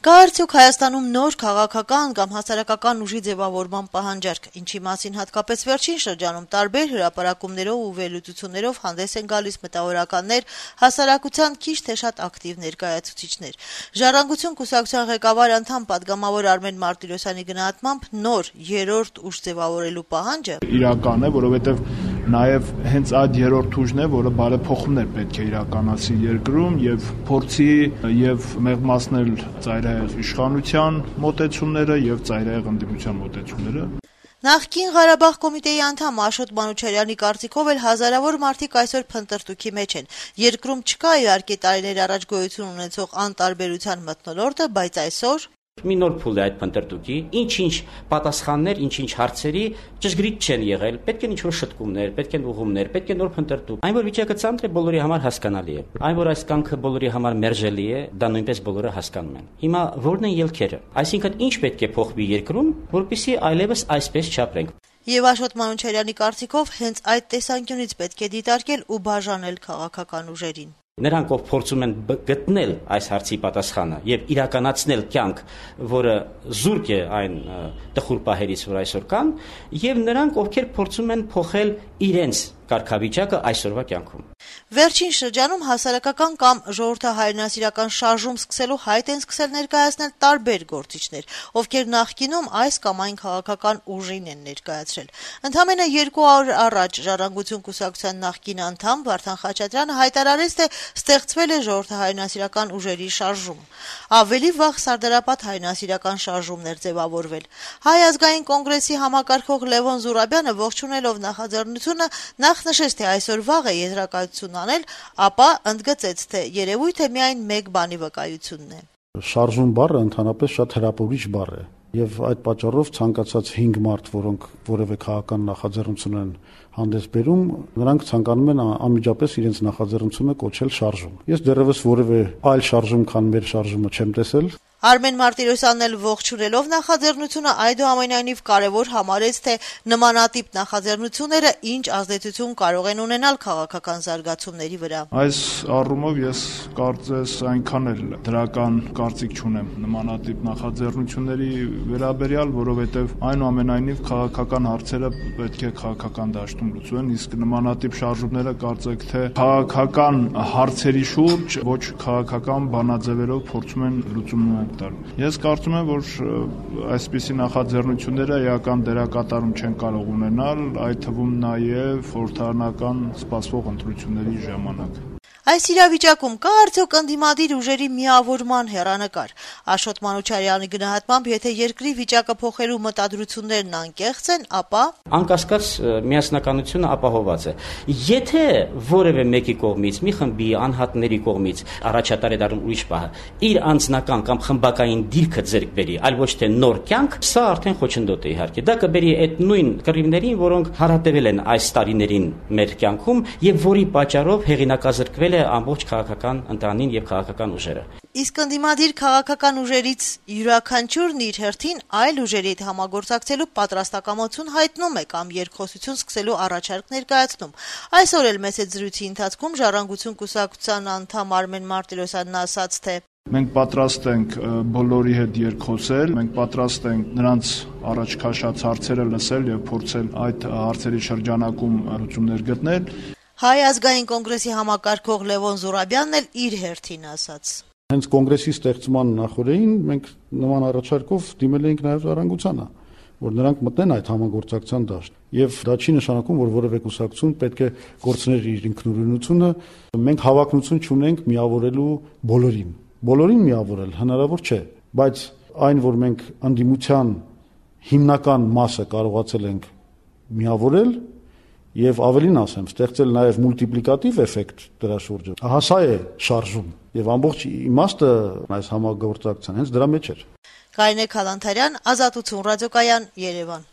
Կա արդյոք Հայաստանում նոր քաղաքական կամ հասարակական ուժի ձևավորման պահանջարկ, ինչի մասին հատկապես վերջին շրջանում տարբեր հրապարակումներով ու վերլուծություններով հանդես են գալիս մտավորականներ, հասարակության քիչ թե շատ ակտիվ ներկայացուցիչներ։ «Ժառանգություն» կուսակցության ղեկավար անդամ պատգամավոր Արմեն Մարտիրոսյանի գնահատմամբ նոր երրորդ ուժ ձևավորելու պահանջը իրական է, որովհետև նաև հենց այդ երրորդ ուժն է, որը բարեփոխումներ պետք է իրականացի երկրում եւ փորձի եւ մեղմացնել ծայրահեղ իշխանության մոտեցումները եւ ծայրահեղ ընդդիմության մոտեցումները։ Նախկին Ղարաբաղ կոմիտեի անդամ Աշոտ Մանուչարյանի կարծիքով էլ հազարավոր մարդիկ այսօր փնտրտուքի մեջ են։ Երկրում չկա իհարկե տարիներ առաջ գոյություն ունեցող անտարբերության մթնոլորտը, բայց այսօր մի նոր փուլ է այդ փնտրտուքի, ինչ-ինչ պատասխաններ, ինչ-ինչ հարցերի ճշգրիտ չեն եղել, պետք են ինչ-որ շտկումներ, պետք են ուղումներ, պետք է նոր փնտրտուք։ Այն որ վիճակը ծանր է, բոլորի համար հասկանալի է։ Այն որ այս կամքը բոլորի համար մերժելի է, դա նույնպես բոլորը հասկանում են։ Հիմա ո՞րն են ելքերը։ Այսինքն ինչ պետք է փոխվի երկրում, որպեսզի այլևս այսպես չապրենք։ Եվ Աշոտ Մանուչարյանի կարծիքով հենց այդ տեսանկյունից պետք է դիտարկել ու բաժանել քաղաքական ուժերին։ Նրանք, ով փորձում են գտնել այս հարցի պատասխանը եւ իրականացնել կյանք, որը զուրկ է այն տխուր պահերից, որ այսօր կան, եւ նրանք, ովքեր փորձում են փոխել իրենց կարգավիճակը այսօրվա կյանքում։ Վերջին շրջանում հասարակական կամ ժողովրդահայրենասիրական շարժում սկսելու հայտ են սկսել ներկայացնել տարբեր գործիչներ, ովքեր նախկինում այս կամ այն քաղաքական ուժին են ներկայացրել։ Ընդամենը 2 օր առաջ «Ժառանգություն» կուսակցության նախկին անդամ Վարդան Խաչատրյանը հայտարարեց, թե ստեղծվել է ժողովրդահայրենասիրական ուժերի շարժում։ Ավելի վաղ Սարդարապատ հայրենասիրական շարժումներ ձևավորվել։ Հայ ազգային կոնգրեսի համակարգող Լևոն Զուրաբյանը ողջունելով նախաձեռնությունը նախ նշեց, թե այսօր վաղ է եզրակացություն անել, ապա ընդգծեց, թե երևույթ է միայն մեկ բանի վկայությունն է։ Շարժում բառը ընդհանրապես շատ հրապուրիչ բառ է, եւ այդ պատճառով ցանկացած 5 մարդ, որոնք որևէ քաղաքական նախաձեռնություն են հանդես բերում, նրանք ցանկանում են անմիջապես իրենց նախաձեռնությունը կոչել շարժում։ Ես դեռևս որևէ այլ շարժում, քան մեր շարժումը չեմ տեսել։ Արմեն Մարտիրոսյանն էլ ողջունելով նախաձեռնությունը այդուամենայնիվ կարևոր համարեց, թե նմանատիպ նախաձեռնությունները ինչ ազդեցություն կարող են ունենալ քաղաքական զարգացումների վրա։ Այս առումով ես կարծես այնքան էլ դրական կարծիք չունեմ նմանատիպ նախաձեռնությունների վերաբերյալ, որովհետև այնուամենայնիվ քաղաքական հարցերը պետք է քաղաքական դաշտում լուծվեն, իսկ նմանատիպ շարժումները կարծեք թե քաղաքական հարցերի շուրջ ոչ քաղաքական բանաձևերով փորձում են լուծում Ես կարծում եմ, որ այսպիսի նախաձեռնությունները էական դերակատարում չեն կարող ունենալ, այդ թվում նաև խորհրդարանական սպասվող ընտրությունների ժամանակ։ Այս իրավիճակում կա արդյոք ընդդիմադիր ուժերի միավորման հեռանկար։ Աշոտ Մանուչարյանի գնահատմամբ, եթե երկրի վիճակը փոխելու մտադրություններն անկեղծ են, ապա անկասկած միասնականությունը ապահովված է։ Եթե որևէ մեկի կողմից, մի խմբի անհատների կողմից առաջատար է դառնում ուրիշ պահը, իր անձնական կամ խմբակային դիրքը ձեռք բերի, այլ ոչ թե նոր կյանք, սա արդեն խոչընդոտ է իհարկե։ Դա կբերի այդ նույն կռիվներին, որոնք հարատևել են այս տարիներին մեր կյանքում եւ որի պատճառով հեղինակազրկվել ամբողջ քաղաքական ընտանին եւ քաղաքական ուժերը։ Իսկ ընդդիմադիր քաղաքական ուժերից յուրաքանչյուրն իր հերթին այլ ուժերի հետ համագործակցելու պատրաստակամություն հայտնում է կամ երկխոսություն սկսելու առաջարկ ներկայացնում։ Այսօր էլ մեծ զրույցի ընթացքում «Ժառանգություն» կուսակցության անդամ Արմեն Մարտիրոսյանն ասաց, թե մենք պատրաստ ենք բոլորի հետ երկխոսել, մենք պատրաստ ենք նրանց առաջ քաշած հարցերը լսել եւ փորձել այդ հարցերի շրջանակում լուծումներ գտնել։ Հայ ազգային կոնգրեսի համակարգող Լևոն Զուրաբյանն էլ իր հերթին ասաց. Հենց կոնգրեսի ստեղծման նախորդին մենք նման առաջարկով դիմել էինք նաև Ժառանգությանը, որ նրանք մտնեն այդ համագործակցության դաշտ։ Եվ դա չի նշանակում, որ որևէ կուսակցություն պետք է կորցներ իր ինքնուրույնությունը։ Մենք հավակնություն չունենք միավորելու բոլորին։ Բոլորին միավորել հնարավոր չէ, բայց այն, որ մենք ընդդիմության հիմնական մասը կարողացել ենք միավորել Եվ ավելին ասեմ, ստեղծել նաև մուլտիպլիկատիվ էֆեկտ դրա շուրջը։ Սա է շարժում եւ ամբողջ իմաստը այս համագործակցության հենց դրա մեջ էր։ Կարինե Քալանթարյան, Ազատություն ռադիոկայան, Երևան։